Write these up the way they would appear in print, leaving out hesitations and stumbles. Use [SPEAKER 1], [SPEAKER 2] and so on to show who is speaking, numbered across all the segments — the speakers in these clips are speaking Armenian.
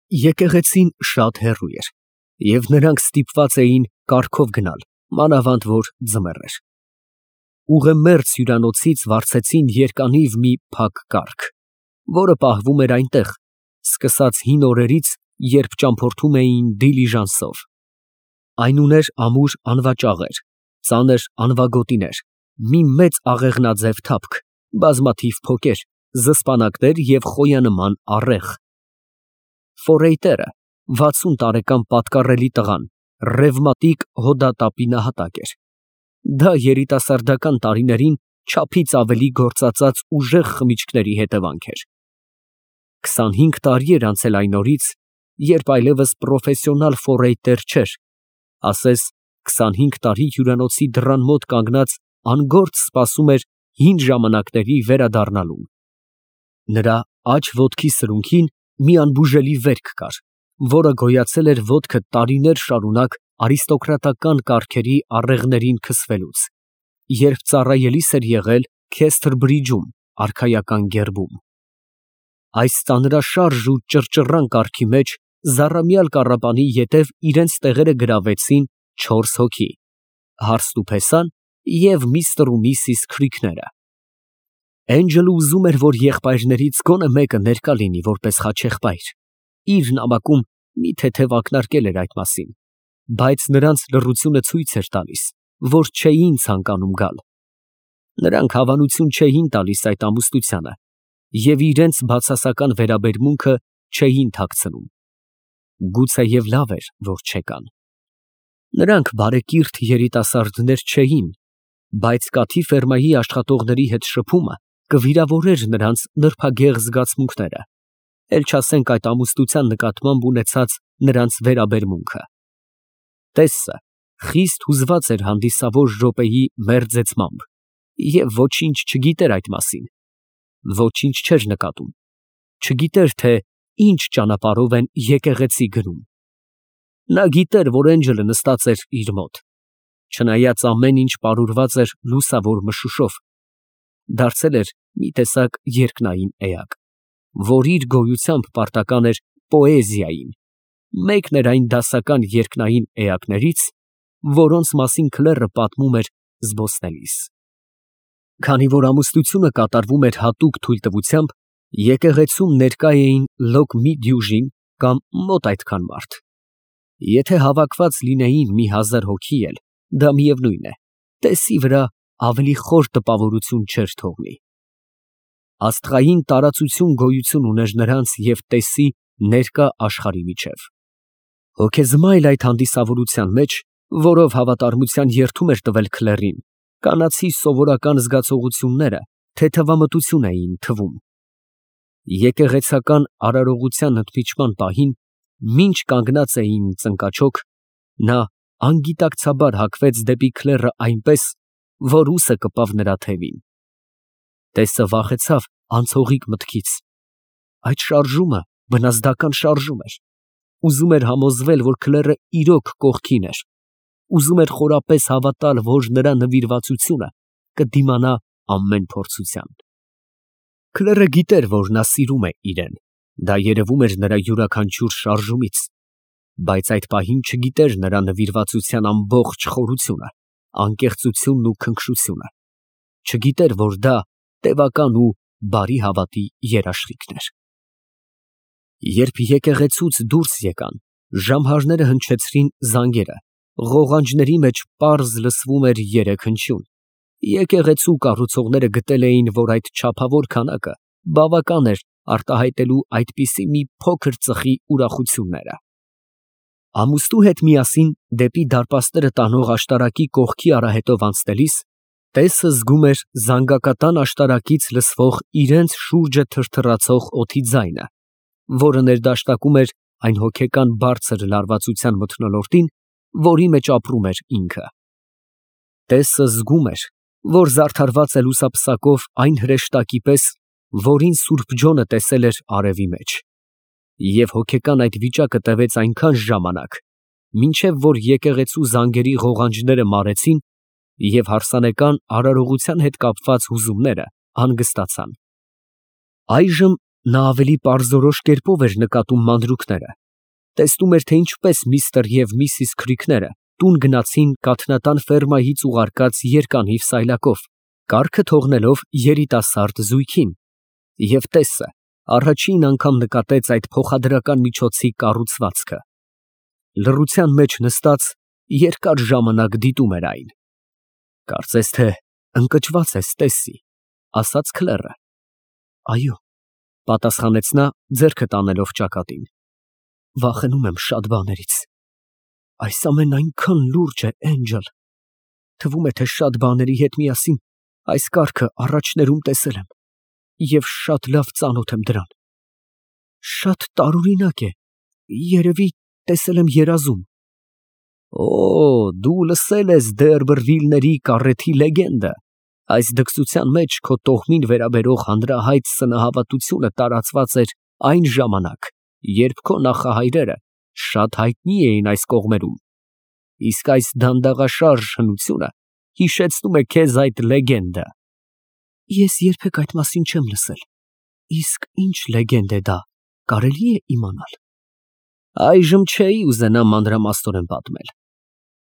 [SPEAKER 1] Եկեղեցին շատ հեռու էր, և նրանք ստիպված էին կառքով գնալ, մանավանդ որ ձմեռ էր։ Ուղեմերձ հյուրանոցից վարձեցին երկինիվ մի փակ կառք, որը պահվում էր այնտեղ, սկսած հին օրերից, երբ ճամփորդում էին դիլիժանսով. այն ուներ ամուր անվաճաղեր, ծանր անվագոտիներ, մի մեծ աղեղնաձև թափք, բազմաթիվ փոկեր, զսպանակներ և խոյանման առեղ։ Ֆորեյտերը, 60 տարեկան պատկառելի տղան, ռևմատիկ հոդատապի նահատակ էր։ Դա երիտասարդական տարիներին չափից ավելի գործածած ուժեղ խմիչքների հետևանք էր։ 25 տարի էր անցել այն օրից, երբ այլևս պրոֆեսիոնալ ֆորեյտեր չէր, ասես 25 տարի հյուրանոցի դռան մոտ կանգնած անգործ սպասում էր հին ժամանակների վերադառնալուն։ Նրա աջ ոտքի սրունքին մի անբուժելի վերք կար, որը գոյացել էր ոտքը տարիներ շարունակ արիստոկրատական կառքերի առեղներին քսվելուց, երբ ծառայելիս էր եղել Քեսթրբրիջում, արքայական գերբում։ Այս ծանրաշարժ ու ճռճռան կառքի մեջ զառամյալ կառապանի ետև իրենց տեղերը գրավեցին 4 հոգի՝ Հարստուփեսան և Միսթր ու Միսիս Քրիքները։ Էնջելը ուզում էր, որ եղբայրներից գոնե մեկը ներկա լինի որպես խաչեղբայր, իր նամակում մի թեթև ակնարկել էր այդ մասին, բայց նրանց լռությունը ցույց էր տալիս, որ չէին ցանկանում գալ։ Նրանք հավանություն չէին տալիս այդ ամուսնությանը և իրենց բացասական վերաբերմունքը չէին թաքցնում։ Գուցեև լավ էր, որ չեկան։ Նրանք բարեկիրթ երիտասարդներ չէին, բայց կաթի ֆերմայի աշխատողների հետ շփումը կվիրավորեր նրանց նրբագեղ զգացմունքները, էլ չասենք այդ ամուսնության նկատմամբ ունեցած նրանց վերաբերմունքը։ Տեսը խիստ հուզված էր հանդիսավոր րոպեի մերձեցմամբ և ոչինչ չգիտեր այդ մասին, ոչինչ չէր նկատում, չգիտեր, թե ինչ ճանապարհով են եկեղեցի գնում։ Նա գիտեր, որ Էնջելը նստած էր իր մոտ, չնայած ամեն ինչ պարուրված էր լուսավոր մշուշով, դարձել էր մի տեսակ երկնային էակ, որ իր գոյությամբ պարտական էր պոեզիային, մեկն էր այն դասական երկնային էակներից, որոնց մասին քլեռը պատմում էր զբոսնելիս։ Քանի որ ամուսնությունը կատարվում էր հատուկ թույլտվությամբ, եկեղեցում ներկա էին լոկ մի դյուժին կամ մոտ այդքան մարդ։ Եթե հավաքված լինեին մի 1000 հոգի էլ, դա միևնույն է, տեսի վրա ավելի խոր տպավորություն չէր թողնի։ Աստղային տարածություն գոյություն ուներ նրանց և տեսի ներկա աշխարհի միջև։ Հոգեզմայլ այդ հանդիսավորության մեջ, որով հավատարմության երդում էր տվել քլեռին, կանացի սովորական զգացողությունները թեթևամտություն էին թվում։ Եկեղեցական արարողության ընդմիջման պահին, մինչ կանգնած էին ծնկաչոք, նա անգիտակցաբար հագվեց դեպի քլեռը այնպես, որ ուսը կպավ նրա թևին։ Տեսը վախեցավ անցողիկ մտքից։ Այդ շարժումը վնասդական շարժում էր։ Ուզում էր համոզվել, որ քլեռը իրոք կողքին էր, ուզում էր խորապես հավատալ, որ նրա նվիրվածությունը կդիմանա ամեն փորձության։ Քլեռը գիտեր, որ նա սիրում է իրեն, դա երևում էր նրա յուրաքանչյուր շարժումից, բայց այդ պահին չգիտեր նրա նվիրվածության ամբողջ խորությունը, անկեղծությունն ու քնքշությունը, չգիտեր, որ դա տևական ու բարի հավատի երաշխիքն էր։ Երբ եկեղեցուց դուրս եկան, ժամհարները հնչեցրին զանգերը, ղողանջների մեջ պարզ լսվում էր երեքհնչյուն։ Եկեղեցու կառուցողները գտել էին, որ այդ չափավոր քանակը բավական էր արտահայտելու այդպիսի մի փոքր ծխի ուրախությունները։ Ամուսնու հետ միասին դեպի դարպասները տանող աշտարակի կողքի արահետով անցնելիս, տեսը զգում էր զանգակատան աշտարակից լսվող իրենց շուրջը թրթռացող օդի ձայնը, որը ներդաշնակում էր այն հոգեկան բարձր լարվածության մթնոլորտին, որի մեջ ապրում էր ինքը։ Տեսը զգում էր, որ զարդարված է լուսապսակով այն հրեշտակի պես, որին Սուրբ Ջոնը տեսել էր արևի մեջ, և հոգեկան այդ վիճակը տևեց այնքան ժամանակ, մինչև որ եկեղեցու զանգերի ղողանջները մարեցին և հարսանեկան արարողության հետ կապված հուզումները հանգստացան։ Այժմ Նա ավելի պարզորոշ կերպով էր նկատում մանրուքները, տեսնում էր, թե ինչպես միստր և միսիս Քրիքները տուն գնացին կաթնատան ֆերմայից ուղարկած երկանիվ սայլակով, կառքը թողնելով երիտասարդ զույգին, և տեսը առաջին անգամ նկատեց այդ փոխադրական միջոցի կառուցվածքը։ Լռության մեջ նստած երկար ժամանակ դիտում էր այն։ Կարծես թե ընկճված ես, Տեսսի, ասաց քլեռը։ Այո, պատասխանեց նա, ձեռքը տանելով ճակատին։ Վախենում եմ շատ բաներից։ Այս ամենն այնքան լուրջ է, Էնջել։ Թվում է, թե շատ բաների հետ միասին այս կառքը առաջներում տեսել եմ և շատ լավ ծանոթ եմ դրան։ Շատ տարօրինակ է, երևի տեսել եմ երազում։ Օ, դու լսել ես Դերբրվիլների կառեթի լեգենդը։ Այս դքսության մեջ քո տոհմին վերաբերող հանրահայտ սնահավատությունը տարածված էր այն ժամանակ, երբ քո նախահայրերը շատ հայտնի էին այս կողմերում, իսկ այս դանդաղաշարժ հնությունը հիշեցնում է քեզ այդ լեգենդը։ Ես երբեք այդ մասին չեմ լսել։ Իսկ ինչ լեգենդ է դա, կարելի է իմանալ։ Այժմ չէի ուզենա մանրամասնորեն պատմել։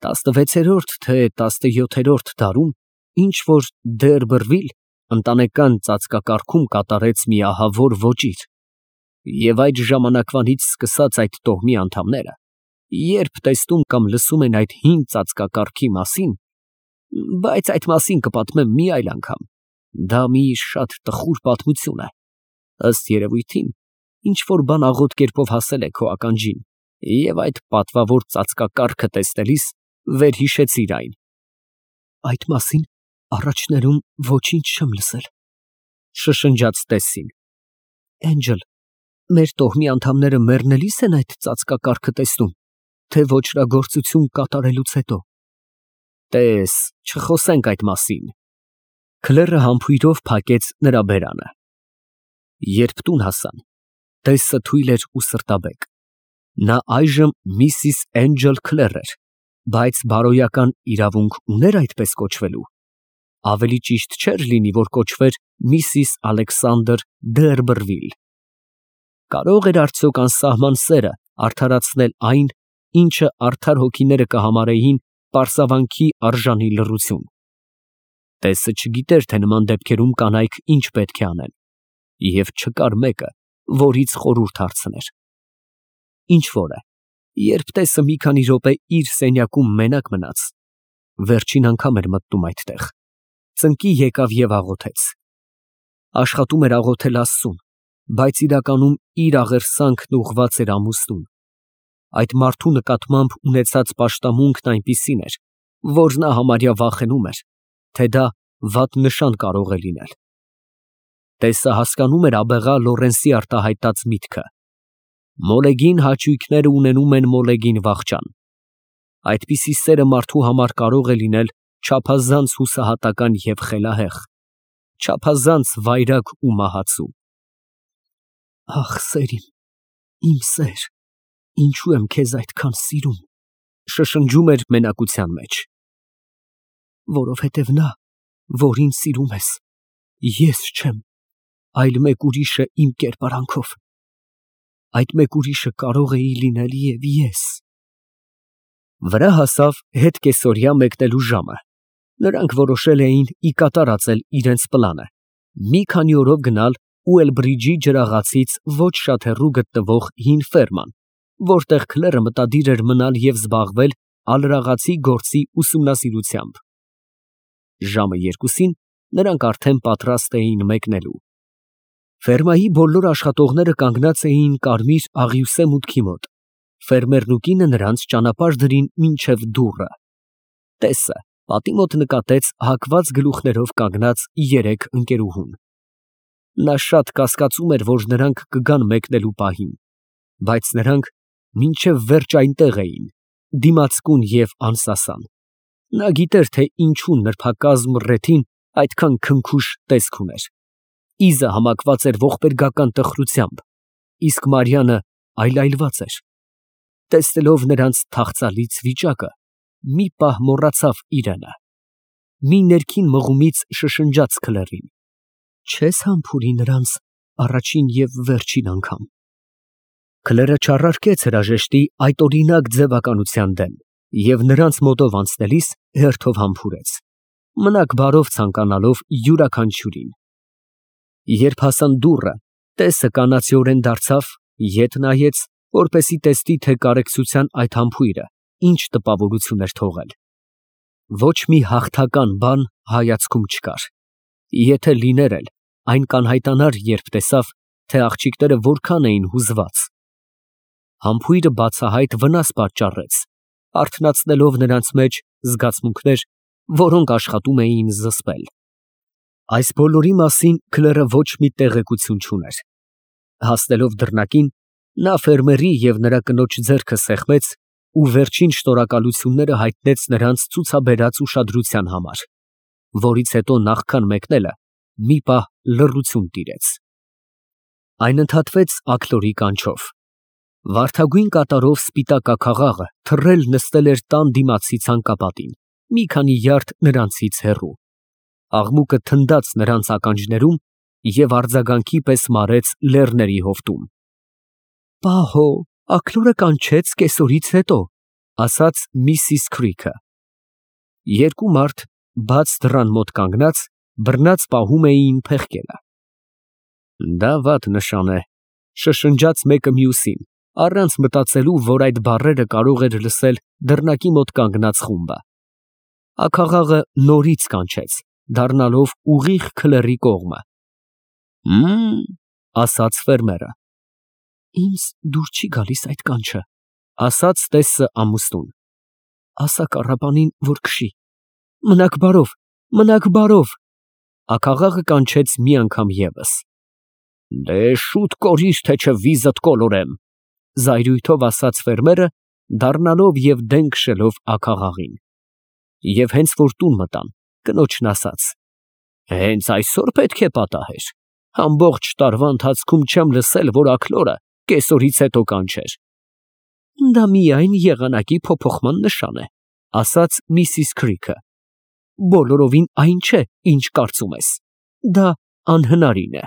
[SPEAKER 1] 16-րդ թե 17-րդ դարում ինչ-որ Դերբրվիլ ընտանեկան ծածկակարգում կատարեց մի ահավոր ոճիր, և այդ ժամանակվանից սկսած այդ տոհմի անդամները, երբ տեսնում կամ լսում են այդ հին ծածկակարգի մասին, բայց այդ մասին կպատմեմ մի այլ անգամ, դա մի շատ տխուր պատմություն է, ըստ երևույթին, ինչ-որ բան աղոտ կերպով հասել է քո ականջին, և այդ պատվավոր ծածկակարգը տեսնելիս վերհիշեցիր այն։ Այդ մասին առաջներում ոչինչ չեմ լսել, շշնջաց Տեսսին։ Էնջել, մեր տոհմի անդամները մեռնելիս են այդ ծածկակարգը տեսնում, թե ոճրագործություն կատարելուց հետո։ Տես, չխոսենք այդ մասին։ Քլեռը համբույրով փակեց նրա բերանը։ Երբ տուն հասան, Տեսը թույլ էր ու սրտաբեկ։ Նա այժմ Միսիս Էնջել Քլեռ էր, բայց բարոյական իրավունք ուներ այդպես կոչվելու։ Ավելի ճիշտ չէր լինի, որ կոչվեր Միսիս Ալեքսանդր Դերբրվիլ։ Կարող էր արդյոք անսահման սերը արդարացնել այն, ինչը արդար հոգիները կհամարեին պարսավանքի արժանի լռություն։ Տեսը չգիտեր, թե նման դեպքերում կանայք ինչ պետք է անեն, և չկար մեկը, որից խորհուրդ հարցներ։ Ինչ որ է, երբ Տեսը մի քանի րոպե իր սենյակում մենակ մնաց, վերջին անգամ էր մտնում այդտեղ, ծնկի եկավ և աղոթեց։ Աշխատում էր աղոթել Աստծուն, բայց իրականում իր աղերսանքն ուղղված էր ամուսնուն։ Այդ մարդու նկատմամբ ունեցած պաշտամունքն այնպիսին էր, որ նա համարյա վախենում էր, թե դա վատ նշան կարող է լինել։ Տեսը հասկանում էր աբեղա Լորենսի արտահայտած միտքը։ Մոլեգին հաճույքները ունենում են մոլեգին վախճան։ Այդպիսի սերը մարդու համար կարող է լինել չափազանց հուսահատական և խելահեղ, չափազանց վայրագ ու մահացու։ Ախ, սեր իմ սեր, ինչու եմ քեզ այդքան սիրում, շշնջում էր մենակության մեջ։ Որովհետև նա, որին սիրում ես, ես չեմ, այլ մեկ ուրիշը իմ կերպարանքով։ Այդ մեկ ուրիշը կարող էի լինել և ես։ Վրա հասավ հետկեսօրյա մեկնելու ժամը։ Նրանք որոշել էին ի կատարածել իրենց պլանը, մի քանի օրով գնալ Ուելբրիջի ջրաղացից ոչ շատ հեռու գտնվող հին ֆերման, որտեղ Քլերը մտադիր էր մնալ և զբաղվել ալրաղացի գործի ուսումնասիրությամբ։ Ժամը 2-ին նրանք արդեն պատրաստ էին մեկնելու։ Ֆերմայի բոլոր աշխատողները կանգնած էին կարմիր աղյուսե մուտքի մոտ։ Ֆերմերն ու կինը նրանց ճանապարհ դրին մինչև դուռը։ Տեսը պատի մոտ նկատեց հակված գլուխներով կանգնած 3 ընկերուհուն։ Նա շատ կասկածում էր, որ նրանք կգան մեկնելու պահին, բայց նրանք մինչև վերջ այնտեղ էին, դիմացկուն և անսասան։ Նա գիտեր, թե ինչու նրբակազմ ռեթին այդքան քնքուշ տեսք ուներ։ Իզը համակված էր ողբերգական տխրությամբ, իսկ Մարիանը այլայլված էր։ Տեսնելով նրանց թախծալից վիճակը, մի պահ մոռացավ իրենը։ Մի ներքին մղումից շշնջաց Քլերին. Չես համբուրի նրանց առաջին և վերջին անգամ։ Քլերը չառարկեց հրաժեշտի այդ օրինակ ձևականության դեմ և նրանց մոտով անցնելիս հերթով համբուրեց, մնաք բարով ցանկանալով յուրաքանչյուրին։ Երբ հասան դուռը, տեսը կանացիորեն դարձավ, ետ նայեց, որպեսզի տեսնի, թե կարեկցության այդ համբույրը ինչ տպավորություն էր թողել։ Ոչ մի հաղթական բան հայացքում չկար։ Եթե լիներ էլ, այն կանհայտանար, երբ տեսավ, թե աղջիկները որքան էին հուզված։ Համբույրը բացահայտ վնաս պատճառեց, արթնացնելով նրանց մեջ զգացմունքներ, որոնք աշխատում էին զսպել։ Այս բոլորի մասին քլերը ոչ մի տեղեկություն չուներ։ Հասնելով դռնակին, նա ֆերմերի և նրա կնոջ ձեռքը սեղմեց ու վերջին շնորհակալությունները հայտնեց նրանց ցուցաբերած ուշադրության համար, որից հետո նախքան մեկնելը մի պահ լռություն տիրեց։ Այն ընդհատվեց աքլորի կանչով։ Վարդագույն կատարով սպիտակ ակաղաղը թռել նստել էր տան դիմացի ցանկապատին, մի քանի յարդ նրանցից հեռու։ Աղմուկը թնդաց նրանց ականջներում և արձագանքի պես մարեց լեռների հովտում։ Պահո, աքլորը կանչեց կեսօրից հետո, ասաց միսիս Քրիքը։ Երկու մարդ բաց դռան մոտ կանգնած, բռնած պահում էին փեղկելը։ Դա վատ նշան է, շշնջաց մեկը մյուսին, առանց մտածելու, որ այդ բառերը կարող էր լսել դռնակի մոտ կանգնած խումբը։ Աքաղաղը նորից կանչեց, դառնալով ուղիղ քլերի կողմը։ Ասաց ֆերմերը։ Ինձ դուր չի գալիս այդ կանչը, ասաց տեսը ամուսնուն։ Ասա կառապանին, որ քշի։ Մնաք բարով, մնաք բարով։ Աքաղաղը կանչեց մի անգամ ևս։ Դե շուտ կորիր, թե չէ վիզդ կոլորեմ, զայրույթով ասաց ֆերմերը, դառնալով և դեն քշելով աքաղաղին։ Եվ հենց որ տուն մտան, կնոջն ասաց. Հենց այսօր պետք է պատահեր։ Ամբողջ տարվա ընթացքում չեմ լսել, որ աքլորը կեսօրից հետո կանչեր։ Դա միայն եղանակի փոփոխման նշան է, ասաց միսիս Քրիքը։ Բոլորովին այն չէ, ինչ կարծում ես։ Դա անհնարին է։